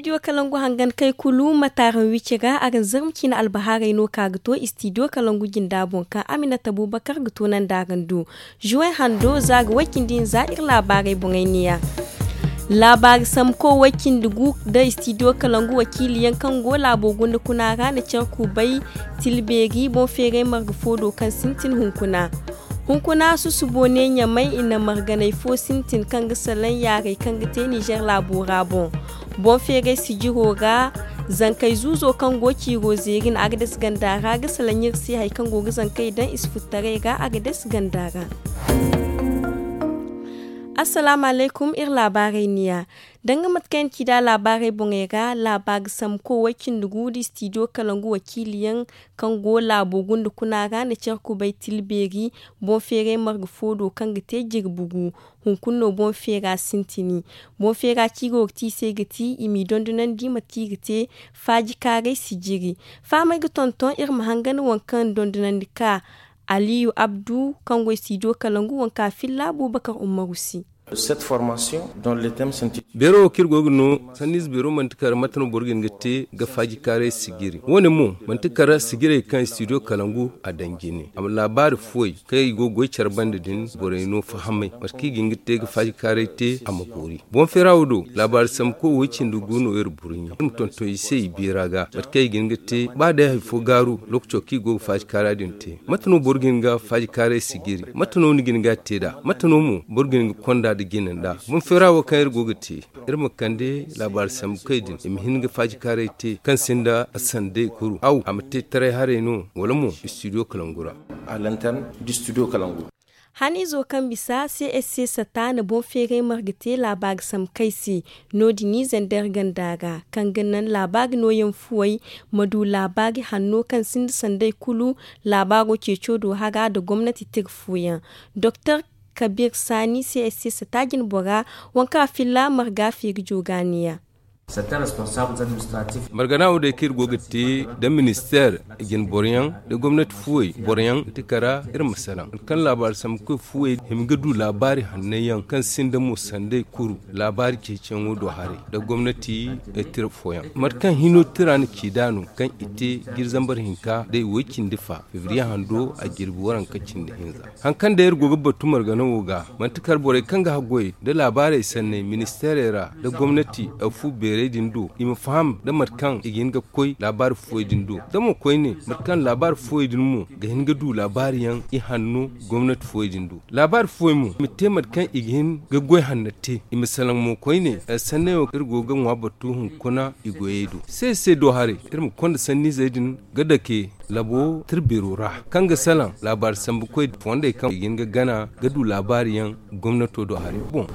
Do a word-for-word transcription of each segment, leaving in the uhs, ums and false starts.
Istidiyo kalangu hangan kay kulu ma taaraŋ wici ra a ga zarma ciine albahaarey no ka ga to istidiyo kalangu jinda boŋ kaŋ aminata bubakar ga to nanda araŋ do. Juwen hando za ga way cindi hinza iri laabaarey boŋey neeya. Laabaari sambuko way cindi gu nda istidiyo kalangu wakiili yaŋ kaŋ go laabo gunda kuna ra na care kubay tilbeeri boŋ feeray marga fo do kaŋ sintin hunkuna. Hunkuna susubo ne ɲamay i na marganay fo sintin kaŋ ga salaŋ yaarey kaŋ ga te nizer laabo ra boŋ. Boŋ feeray sijiro ra zankey zuuzo kaŋ go ciiro zeeri na agades ganda ra ga salaŋ iri se hari kaŋ go ga zankey daŋ i si futtaray ra agades ganda ra. Assalaamu alaykum iri laabaarey niya. Danga mate kaŋ yaŋ ci da laabaarey boŋey ra laabaari sambuko way cindi gu nda istidiyo kalangu wakiili yaŋ kaŋ go laabo gunda kuna ra na care kubay tilbeeri boŋ feeray marga fo do kaŋ ga te jirbi gu. Hunkuna no boŋ feera sintini. Boŋ feera ciiro ga ti i se ga ti i m'i dondonandi mate kaŋ i ga te faajikaaray sijiri. Fahamay ga tonton iri ma hangan waŋ kaŋ dondonandi ka aliyu abdu kaŋ go istidiyo kalangu waŋ kaŋ a filla abubakar umaru se. Beero wo kaŋ iri go ga no sanniize beero manti kala mate no boro ga hin ga te ga faajikaaray sijiri wo- ne mo manti kala sijirey kaŋ istidiyo kalangu a daŋ jine a ma laabaari fuwey kaŋ i go ga goy care banda din borey no fahamay mate kaŋ i ga hin ga te ga faajikaaray te a ma boori. Boŋ feera wo do laabaari sambuko way cindi gu no iri burɲe iri ma tonton i se i beera ga mate kaŋ i ga hin ga te ba day hari fo gaaru lookaco kaŋ i go ga faajikaara din te. Mate no boro ga hin ga faajikaaray sijiri mate no ni ga hin ga a te nd'a mate no mo boro ga hin ga konda nda jine nd'a. Boŋ feera wo kaŋ iri go ga te iri ma kande laabaari sambu kay din i ma hin ga faajikaaray te kaŋ sinda sanday kuru aw a ma te taray haray no wala mo istidiyo kalangu ra. Haniizo kaŋ bisa csc sata na boŋ feeray marga te laabaari sambu kay se. No- din i zandar ganda ra kaŋ ga naŋ laabaari nooyaŋ fuwey ma du laabaari hanno kaŋ sinda sanday kulu laabaaro ceeco do hara nda gomnati tira fooyaŋ. Doktor kabir saani csc sata jinbora waŋ kaŋ a filla marga feeri jooga neeya. Margana wo day kaŋ iri go ga te nda ministeer jinboroyaŋ nda gomnati fuwey boroyaŋ ga ti kara iri ma salaŋ hari kaŋ laabaari sambu koy fuwey hima ga du laabaari hanney yaŋ kaŋ sinda mo sanday kuru laabaari ceeciyaŋo do haray nda gomnati tira fooyaŋ mate kaŋ hino tira na ci nd'a no kaŋ i te jiri zambar hinka day way cindi fa febriye hando a jirbi waranka cindi hinza. Hari kaŋ day iri go ga batu margana wo ga manti kala borey kaŋ ga haggoy nda laabaarey sanney ministeerey ra nda gomnati fu beerey din do i ma faham nda mate kaŋ i ga hin ga koy laabaari fuwey din do da mo koyne mate kaŋ laabaari fuwey din mo ga hin ga du laabaari yaŋ i hanno gomnati fuwey din do laabaari fuwey mo i ma te mate kaŋ i ga hin ga goy hanna te i ma salaŋ mo koyne. Sanney wo iri go ga ŋwa batu hunkuna i goyey do se se do haray iri ma konda sanniizey din ga dake labo tirbeero ra kaŋ ga salaŋ laabaari sambu koy fondey kaŋ i ga hin ga gana ga du laabaari yaŋ gomnato do hari boŋ.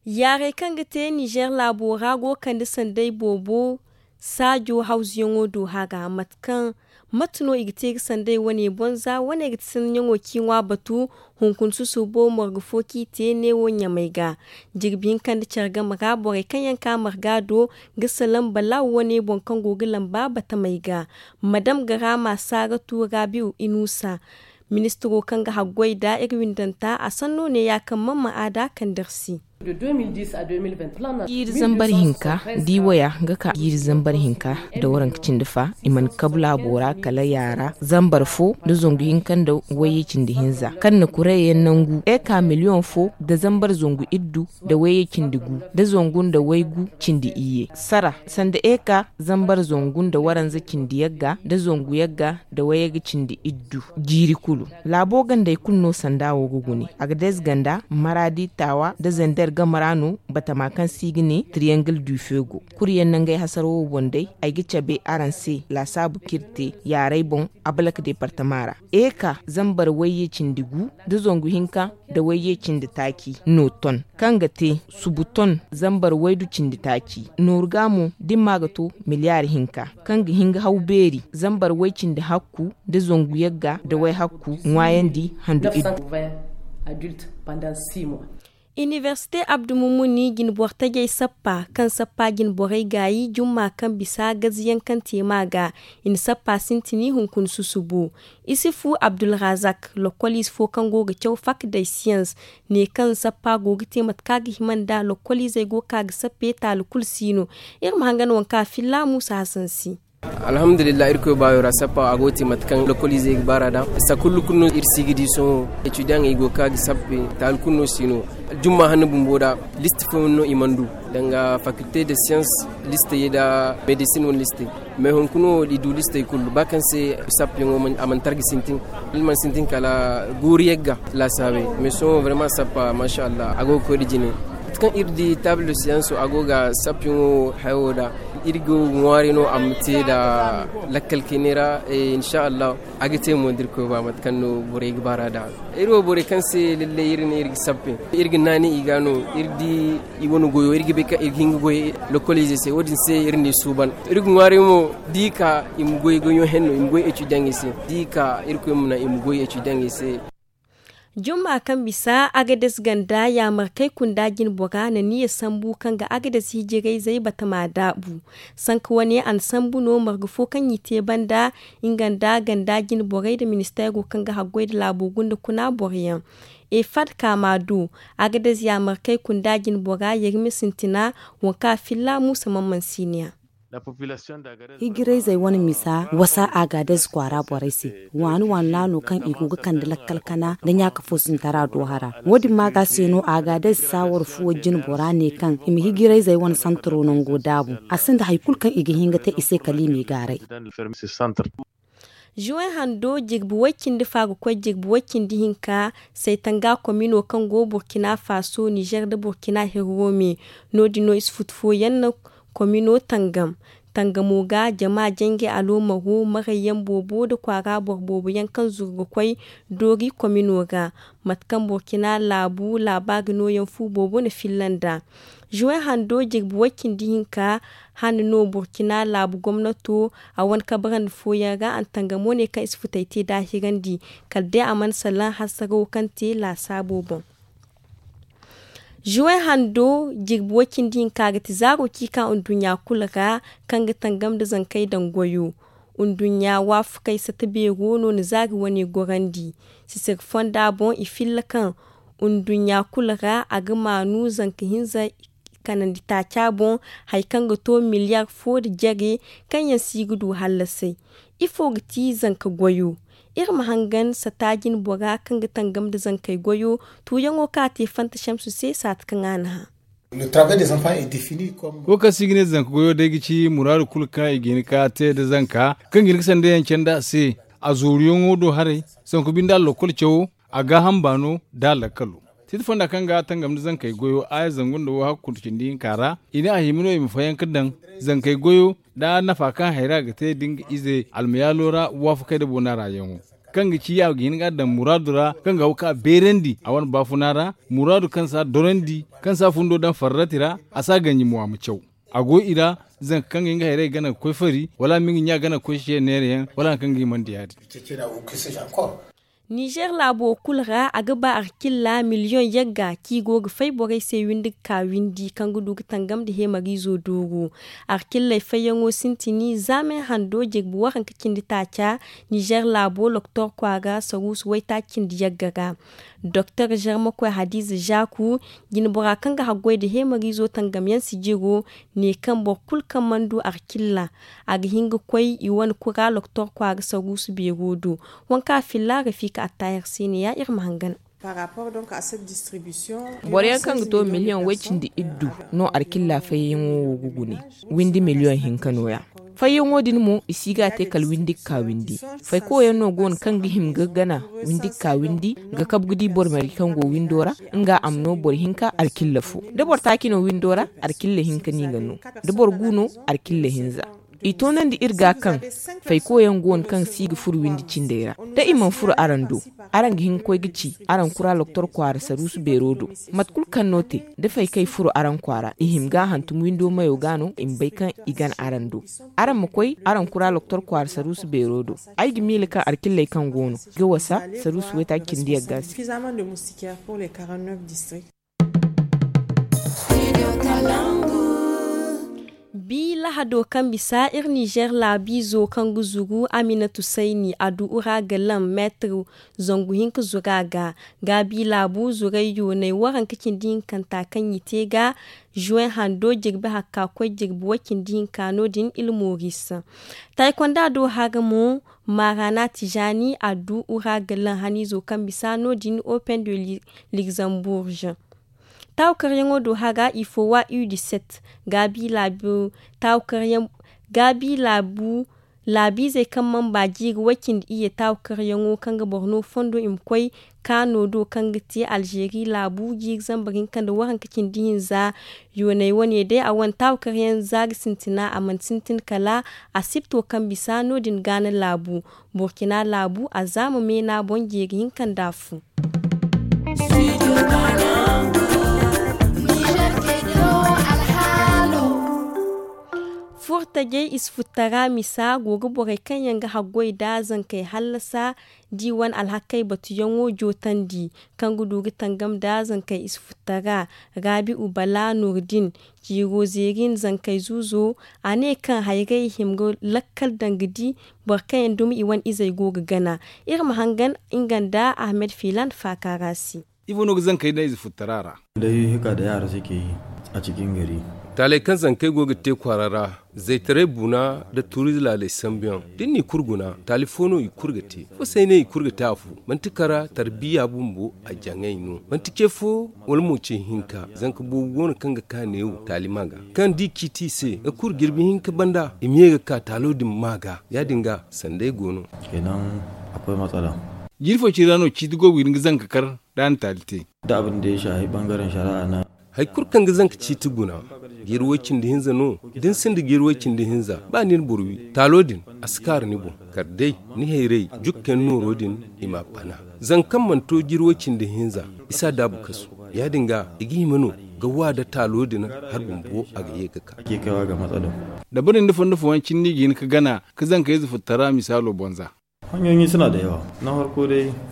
Yaarey kaŋ ga te nizer laabo ra go ga kande sanday boobo saajo hawzuyaŋo do hara mate kaŋ mate no i ga te ga sanday wane boŋ za wane ga ti sanniyaŋo ci ŋwa batu. Hunkuna susubo marga fo kaŋ i te neewo ɲamay ga jirbi hinka nda care game ra borey kaŋ yaŋ ka marga do ga salaŋ balaaw wane boŋ kaŋ go ga lamba batamey ga. Madam garama saaratu rabi'u inusa ministiro kaŋ ga haggoy nda iri windanta a sanno neeya kaŋ man ma a da kandar se. Jiiri zambar hinka diiwaya ga ka jiiri zambar hinka nda waranka cindi fa i mana kabu laabo ra kala yaara zambar fo nda zangu hinka nda wayye cindi hinza kaŋ na kuray yaŋ nangu eka miliyoŋ fo nda zambar zangu iddu nda wayye cindi gu nda zangu nda waygu cindi iyye sara sanda eka zambar zangu nda waranza cindi yagga nda zangu yagga nda wayye ga cindi iddu. Jiiri kulu laabo gandey kulu no sanda wo ga gune a ga dees ganda maraadi taawa nda zender game ra no batama kaŋ se i ga ne triyangle du feu go. Kulu yaŋ nangey hasara wo boŋ day ay ga cabe araŋ se laasaabu kaŋ iri te yaarey boŋ abalak deepartama ra. Eeka zambar wayye cindi gu nda zangu hinka nda wayye cindi taaci no ton kaŋ ga te subu ton zambar waydu cindi taaci nooru ga mo da ni ma ga to miliyaari hinka kaŋ ga hin ga haw beeri zambar way cindi hakku nda zangu yagga nda way hakku ŋwaayandi handu iddu. Inibersite abdu mumuni jinboro tajey sappa kaŋ sappa jinborey gaayi jumma kaŋ bisa gaziyaŋ kaŋ te ma ga. I na sappa sintini hunkuna susubu. Isifu abdulrazak lokoliize fo kaŋ go ga caw fak day siyans ne kaŋ sappa go ga te mate kaŋ a ga hima nda lokoliizey go ga ka ga sappe taali kulu si no. Iri ma hangan waŋ kaŋ a filla muusa hasan se. Alhamdulillah, irkoy baayo ra sappa a go ga te mate kaŋ lokoliizey ga baar'a da. Sakullu kulu no iri si ga di sohõ. Etudiyaŋey go ga ka ga sappe taali kulu no si no. Jumma hanno bumbo da listi fooyaŋ no i mana du danga fakilte de siyans listey da medisin wane listey. Mais hunkuna wo i du listey kulu ba kaŋ se sappeyaŋo a mana targa sintin. Iri mana sintin kala guuru yagga laasaabey. Mais sohõ vraiment sappa masha allah a go ga koy nda jine. Mate kaŋ iri di taabul de siyanso a go ga sappeyaŋo hayo da. Iri go ga ŋwaaray no a ma te nda lakkal kayne ra. Insa allah a ga te mo da irkoy ba mate kaŋ no borey ga baar'a da. Iri wo borey kaŋ se lallay iri ne iri ga sappe iri ga naani i ga no. Iri di i wane goyo iri ga bay kaŋ iri ga hin ga goy lokoliizey se wo- din se iri n'i suuban. Iri ga ŋwaaray mo da i ka i ma goy goyo henno i ma goy etudiyaŋey se da i ka irkoy ma naŋ i ma goy etudiyaŋey se. Jumma kaŋ bisa agades ganda yaamarkey kunda jinbora na niya sambu kaŋ ga agades hijirayzey batama daabu. Sanka wane a na sambu no marga fo kaŋ i te banda nga nda ganda jinborey nda ministeero kaŋ ga haggoy nda laabo gunda kuna boroyaŋ. Efad kaama do agades yaamarkey kunda jinbora yerme sintina waŋ kaŋ a filla muusa mamman siiniya. Hijirayzey wane misa wasa agadez kwaara borey se. Waani waani naano kaŋ i go ga kande lakkal kana nda ɲaaka fo sintara do hara. Wo- din maaga se no agadez saawar fuwo jinbora ne kaŋ i ma hijirayzey wane santaro nango daabu. A sinda hari kulu kaŋ i ga hin ga te i se kala i m'i gaaray. Juwen hando jirbi way- cindi fa ga koy jirbi way- cindi hinka saytanga komino kaŋ go burkina faso nizer nda burkina herro me. No- din no isi futu fooyaŋ no komino tangam. Tangamo ga jama janjay aloomaro marayyaŋ boobo nda kwaara boro boobo yaŋ kaŋ zuru ga koy doori komino ra. Mate kaŋ burkina laabu laabaari nooyaŋ fu boobo na filla nd'a. Juwen hando jirbi way- cindi hinka hane no burkina laabu gomnato a wane kabarandi fooyaŋ ra a na tangamo ne kaŋ i si futay te daahirandi kala day a mana salaŋ hasaraw kaŋ te laasaabo boŋ. Juwen hando jirbi way- cindi hinka ga ti zaaro kaŋ i ka nduɲɲa kulu ra kaŋ ga tangam nda zankey daŋ goyo. Nduɲɲa waafakey sata beero no na zaari wane gorandi. Sisir fonda boŋ i filla kaŋ nduɲɲa kulu ra a ga maanu zanka hinza kanandi taaca boŋ hari kaŋ ga to miliyar fo nda jare kaŋ yaŋ si ga du hallasay. Ifo ga ti zanka goyo? Iri ma hangan sata jinbora kaŋ ga tangam nda zankey goyo tuuyaŋo kaŋ a te fanta samsu se saati kaŋ a na hã. Wo kaŋ se i ga ne zanka goyo day ga ci muraadu kulu kaŋ i ga hin ga te nda zanka kaŋ ga hin ga sandayaŋ candi a se. A zooruyaŋo do haray sanku binde a lokol cawo a gaaham baano da a lakkalo. Siti fonda kaŋ ga tangam nda zankey goyo aya zangu nda wo hakku cindi hinka ra i ne a hima no i ma fayanka daŋ zankey goyo da nafa kaŋ hayra ga te da nga ize almayaalo ra waafakey nda boona ra yaŋo kaŋ ga ci a ga hin ga a daŋ muraadu ra kaŋ ga haw ka beerandi a wane baafuna ra muraadu kaŋ si a dorandi kaŋ si a fundo daŋ farrati ra. A si a ganji mo a ma caw a go i ra. Zanka kaŋ ga hin ga hayray gana ga koy fari wala a ma nga ɲa gana ga koy se neera yaŋ wala hari kaŋ ga himandi ya- din. Nizer laabo kulu ra a ga ba arkilla miliyoŋ yagga kaŋ i go ga fay borey se windi ga ka windi kaŋ ga du ga tangam nda heemariizo dooru. Arkilley fayyaŋo sintini zaamen hando jirbi waranka cindi taaca nizer laabo loktor kwaara saruusu waytaaci cindi yagga ra. Doktor zermakoy hadiiza zaaku jinbora kaŋ ga haggoy nda heemariizo tangamyaŋ sijiro ne kaŋ boro kulu kaŋ mana du arkilla a ga hin ga koy i wane kura loktor kwaara saruusu beero do. Waŋ kaŋ a filla rafiika attaayer se ne- ya iri ma hangan. Boro yaŋ kaŋ ga to miliyoŋ way- cindi iddu no arkilla fayyaŋo wo ga gune. Windi miliyoŋ hinka no- ya fayyaŋo din mo i si ga a te kala windi ga ka windi. Fayko yaŋ no go no kaŋ ga hima ga gana windi ga ka windi ga kabu ga di boro marje kaŋ go windo ra nga a ma no boro hinka arkilla fo da boro taaci no windo ra. Arkilla hinka no i ga no da boro gu no. Arkilla hinza i toonandi iri ga kaŋ fayko yaŋ go no kaŋ si ga furo windi cindey ra. Da i mana furo araŋ do araŋ ga hin ga koy ga ci araŋ kura loktor kwaara saruusu beero do. Mate kulu kaŋ no te da faykey furo araŋ kwaara i hima ga a hantum windo mayo ga no i ma bay kaŋ i gana araŋ do. Araŋ ma koy araŋ kura loktor kwaara saruusu beero do. Ay ga miila kaŋ arkilley kaŋ go no ga wasa saruusu waytaaci cindi yagga se. Bi lahado kaŋ bisa iri nizeer laabiizo kaŋ ga zuru aminatu sayni a du ura ga laŋ meetir zangu hinka zuru a ga. Gaabi laabu zuray yoonay waranka cindi hinkanta kaŋ i te ga zuwen hando jirbi hakka koy jirbi way cindi hinka no- din ilmoris. Taykonda do hara mo maarana tijaani a du ura ga laŋ haniizo kaŋ bisa no- din open de luxembourg. Taawakaryaŋo do hara ifo wa u dix-sept gaabi laabu taawakaryaŋ gaabi laabu laabiizey kaŋ mana ba jiiri way cindi iyye taawakaryaŋo kaŋ ga boro no fondo i ma koy kaano do kaŋ ga te alzeeri laabu jiiri zambar hinka nda waranka cindi hinza. Yoonay wane day a wane taawakaryaŋ za ga sintina a mana sintin kala asipto kaŋ bisa no- din gaana laabu burkina laabu a zaama meena boŋ jeeri hinka nda afo. Furtajey i si futtara misa go ga borey kaŋ yaŋ ga haggoy nda zankey hallasa da i wane alhakey batuyaŋo jootandi kaŋ ga du ga tangam nda zankey i si futtara. Raabi'u bala nurdin ciiro zeeri nda zankey zuuzo a ne kaŋ hayray hima ga lakkal daŋ ga di boro kaŋ yaŋ dumi i wane izey go ga gana. Iri ma hangan nga nda ahmed filan faaka ra se. Ifo no ga zankey da ize futtara ra? Day hika da yaara se ke yi a cikin gari. Taaley kaŋ zankey go ga te kwaara ra zaytaray buna nda tuuriize laaley sambuyaŋ da ni na i kulu guna taali fo no i kulu ga te. Fo se ay ne i kulu ga te afo manti kara tarbiya bumbo a jaŋay no manti ce fo wala mo ce hinka zanka boobo go no kaŋ ga ka neewo taali ma ga kaŋ da i ciiti i se nga kulu jirbi hinka banda i ma ye ga ka taalo din ma ga ya- din ga sanday go no. Jiiri fo ciri ra no ciiti go ga hin ga zanka kar da a na taali te. Da abin da ya shahi bangaren shari'a na. Hari kulu kaŋ ga zanka ciiti guna jiiri way-cindi hinza no da ni sinda jiiri way-cindi hinza ba ni na boro wi taalo din a si kaaru ni boŋ kala day ni hayray jukkayaŋ nooro din i m'a bana. Zanga kaŋ mana to jiiri way-cindi hinza i si a daabu kasu ya- din ga i ga hima no ga wa nda taalo din hari bumbo a ga ye ga ka. Da boro nda fondo fooyaŋ cindi ga hin ga gana ga zanka ize futtara misaalo bonza.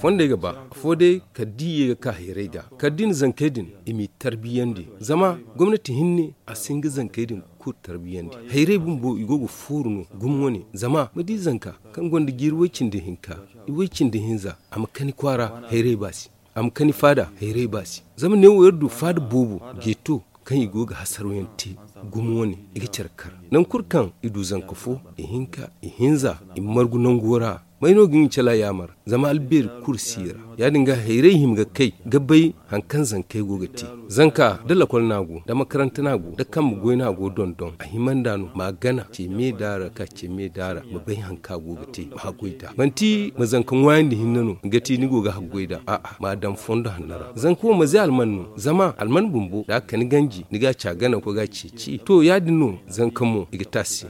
Fondey ga ba afo day kala da i ye ga ka hayray ga kala da i na zankey din i m'i tarbiyandi zama gomnati hinne a si hin ga zankey din kulu tarbiyandi. Hayray bumbo i go ga fooru no gumo wane zama ma di zanka kaŋ gonda jiiri way-cindi hinka i way-cindi hinza a ma kani kwaara hayray ba se a ma kani faada hayray ba se. Zama neewo iri du faada boobo jeeto kaŋ i go ga hasarayaŋ te gumo wane i ga care kar nangu kulu kaŋ i du zanka fo i hinka i hinza i ma margu nango ra. May no ga nga cala yaamar zama albeeri kulu si i ra ya- din ga hayray hima ga kay ga bay hari kaŋ zankey go ga te. Zanka da lakol no a go da makaranta no a go da kambe goy no a go dondon a hima nd'a no ma a gana ce me daara ka ce me daara ma bay hari kaŋ a go ga te ma haggoy nd'a manti ma zanka ŋwaayandi hinne no ga ti ni go ga haggoy nd'a a'a ma a daŋ fondo hanno ra. Zanka wo ma ze alman no zama alman bumbo da a kani ganji ni ga a ci a gana ga koy ga a ceeci to ya- din no zanka mo i ga te a se.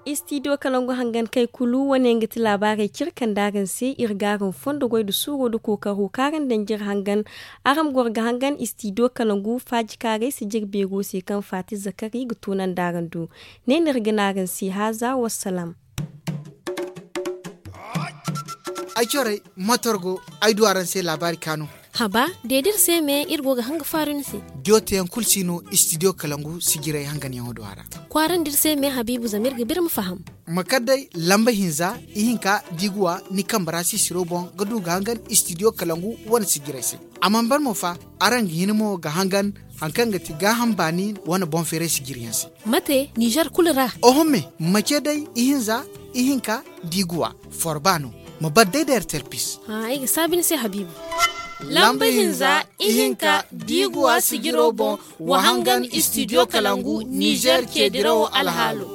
Istidiyo kalangu hangan kay kulu wane nga ti laabaarey kaŋ iri kande araŋ se iri ga araŋ fondo goy nda suuro nda kookaro kaŋ araŋ danji iri hangan. Araŋ ma goro ga hangan istidiyo kalangu faaji kaarey si jire beero se kaŋ faati zakari ga tunandi araŋ do. Ne no iri ga ne araŋ se haaza wassalaam. Ay corey motor go ay du araŋ se laabaari kaanu. Haba de da iri se me iri go ga hanga faaru ni se. Diyo teyaŋ kulu si no istidiyo kalangu sijiray hanganyaŋo do a ra. Kwaarandi iri se me habiibu zama iri ga ba iri ma faham. Ma kar day lamba hinza ihinka da i ga wa ni kambe ra sisiro boŋ ga du ga hangan istidiyo kalangu wane sijiray se. A mana ban mo fa araŋ ga hin mo ga hangan hari kaŋ ga ti gaaham baani wane boŋ feeray sijiriyaŋ se. Mate nizer kulu ra. Oho me ma ce day ihinza ihinka da i ga wa forba no ma bar day da ertel pis. Ay ga saabi ni se habiibu. Lamba hinza ihinka da i ga wa sijiro boŋ wa hangan istidiyo kalangu nizer ceedirawo alhaalo.